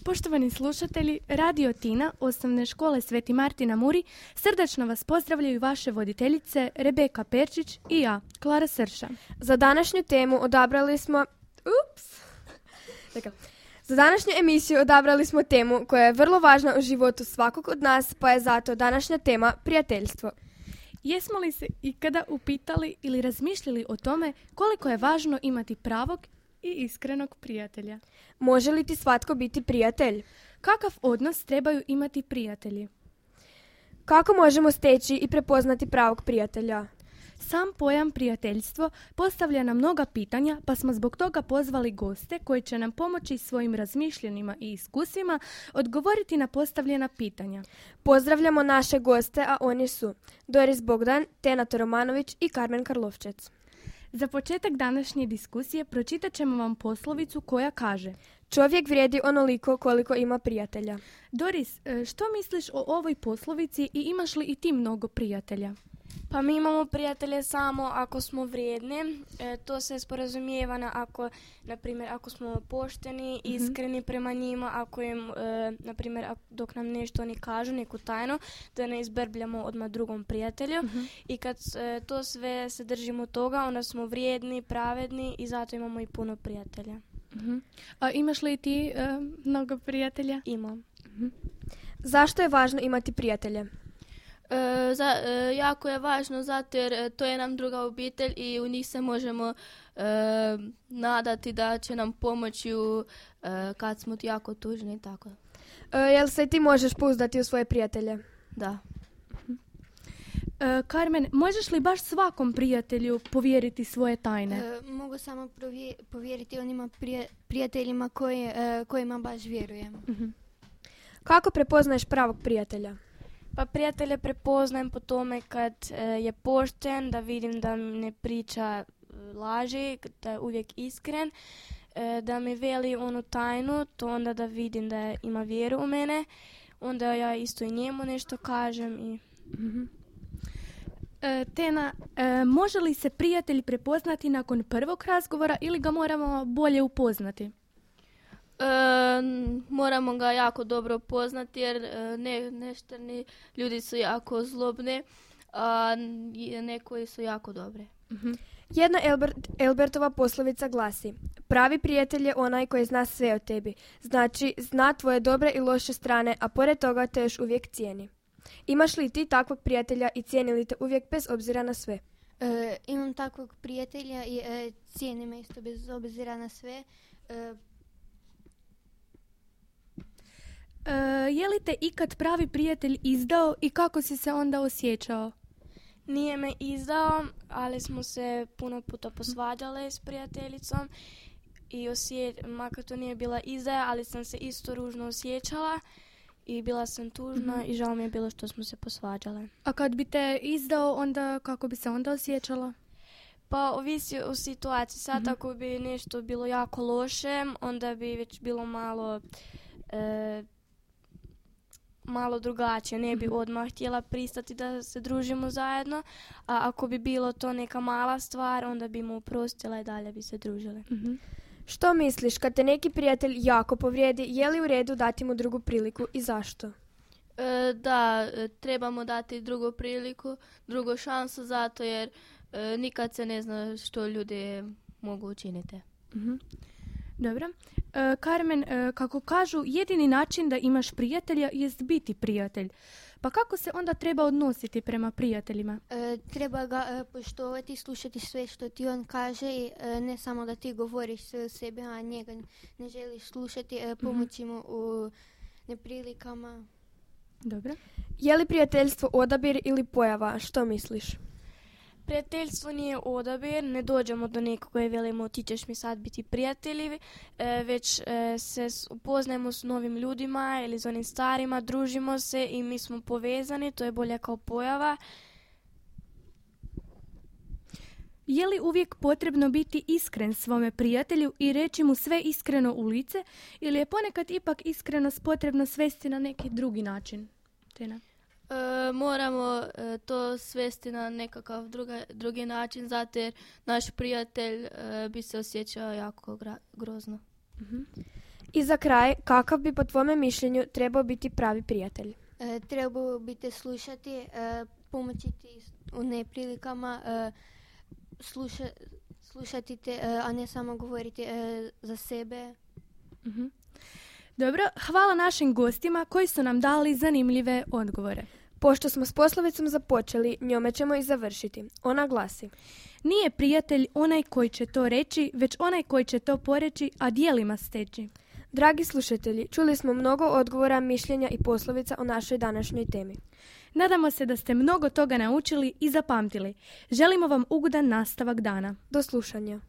Poštovani slušatelji, Radio Tina, osnovne škole Sveti Martin na Muri, srdačno vas pozdravljaju vaše voditeljice Rebeka Perčić i ja, Klara Srša. Za današnju temu odabrali smo... Za današnju emisiju odabrali smo temu koja je vrlo važna u životu svakog od nas, pa je zato današnja tema prijateljstvo. Jesmo li se ikada upitali ili razmišljali o tome koliko je važno imati pravog i iskrenog prijatelja? Može li ti svatko biti prijatelj? Kakav odnos trebaju imati prijatelji? Kako možemo steći i prepoznati pravog prijatelja? Sam pojam prijateljstvo postavlja nam mnoga pitanja, pa smo zbog toga pozvali goste koji će nam pomoći svojim razmišljanjima i iskustvima odgovoriti na postavljena pitanja. Pozdravljamo naše goste, a oni su Doris Bogdan, Tenata Romanović i Karmen Karlovčec. Za početak današnje diskusije pročitat ćemo vam poslovicu koja kaže: čovjek vrijedi onoliko koliko ima prijatelja. Doris, što misliš o ovoj poslovici i imaš li i ti mnogo prijatelja? Pa mi imamo prijatelje samo ako smo vrijedni. To se sporazumijeva ako smo pošteni, iskreni prema njima, ako im, na primjer, dok nam nešto oni kažu, neku tajnu, da ne izbrbljamo odmah drugom prijatelju. I kad to sve se držimo toga, onda smo vrijedni, pravedni i zato imamo i puno prijatelja. A imaš li ti mnogo prijatelja? Imam. Zašto je važno imati prijatelje? Jako je važno zato jer to je nam druga obitelj i u njih se možemo nadati da će nam pomoći kad smo jako tužni i tako. Jel se ti možeš pouzdati u svoje prijatelje? Da. Karmen, možeš li baš svakom prijatelju povjeriti svoje tajne? Mogu samo povjeriti onima prijateljima kojima baš vjerujem. Kako prepoznaješ pravog prijatelja? Pa prijatelje prepoznajem po tome kad je pošten, da vidim da ne priča laži, da je uvijek iskren, da mi veli onu tajnu, to onda da vidim da ima vjeru u mene, onda ja isto i njemu nešto kažem. Tena, može li se prijatelj prepoznati nakon prvog razgovora ili ga moramo bolje upoznati? Moramo ga jako dobro poznati jer neštani ljudi su jako zlobni, a nekoji su jako dobre. Jedna Elbertova poslovica glasi: pravi prijatelj je onaj koji zna sve o tebi. Znači, zna tvoje dobre i loše strane, a pored toga te još uvijek cijeni. Imaš li ti takvog prijatelja i cijeni li te uvijek bez obzira na sve? Imam takvog prijatelja i cijenim me isto bez obzira na sve. Je li te ikad pravi prijatelj izdao i kako si se onda osjećao? Nije me izdao, ali smo se puno puta posvađale s prijateljicom i makar to nije bila izdaja, ali sam se isto ružno osjećala i bila sam tužna i žao mi je bilo što smo se posvađale. A kad bi te izdao, onda kako bi se onda osjećala? Pa ovisi o situaciji. Sad ako bi nešto bilo jako loše, onda bi već bilo malo drugačije. Ne bi odmah htjela pristati da se družimo zajedno, a ako bi bilo to neka mala stvar, onda bi mu oprostila i dalje bi se družile. Što misliš, kad te neki prijatelj jako povrijedi, je li u redu dati mu drugu priliku i zašto? Da, trebamo dati drugu priliku, drugu šansu, zato jer nikad se ne zna što ljudi mogu učiniti. Dobro. Karmen, kako kažu, jedini način da imaš prijatelja jest biti prijatelj. Pa kako se onda treba odnositi prema prijateljima? Treba ga poštovati, slušati sve što ti on kaže i ne samo da ti govoriš sve o sebi, a njega ne želiš slušati, pomoći mu u neprilikama. Dobro. Je li prijateljstvo odabir ili pojava? Što misliš? Prijateljstvo nije odabir, ne dođemo do nekoga i velimo ti ćeš mi sad biti prijatelji, već se upoznajemo s novim ljudima ili s onim starima, družimo se i mi smo povezani, to je bolje kao pojava. Je li uvijek potrebno biti iskren svome prijatelju i reći mu sve iskreno u lice ili je ponekad ipak iskrenost potrebno svesti na neki drugi način? Tena? Moramo to svesti na nekakav drugi način, zato jer naš prijatelj bi se osjećao jako grozno. I za kraj, kakav bi po tvome mišljenju trebao biti pravi prijatelj? Trebao bi te slušati, pomoći ti u neprilikama, slušati te, a ne samo govoriti za sebe. Dobro, hvala našim gostima koji su nam dali zanimljive odgovore. Pošto smo s poslovicom započeli, njome ćemo i završiti. Ona glasi: Nije prijatelj onaj koji će to reći, već onaj koji će to poreći, a djelima steći. Dragi slušatelji, čuli smo mnogo odgovora, mišljenja i poslovica o našoj današnjoj temi. Nadamo se da ste mnogo toga naučili i zapamtili. Želimo vam ugodan nastavak dana. Do slušanja.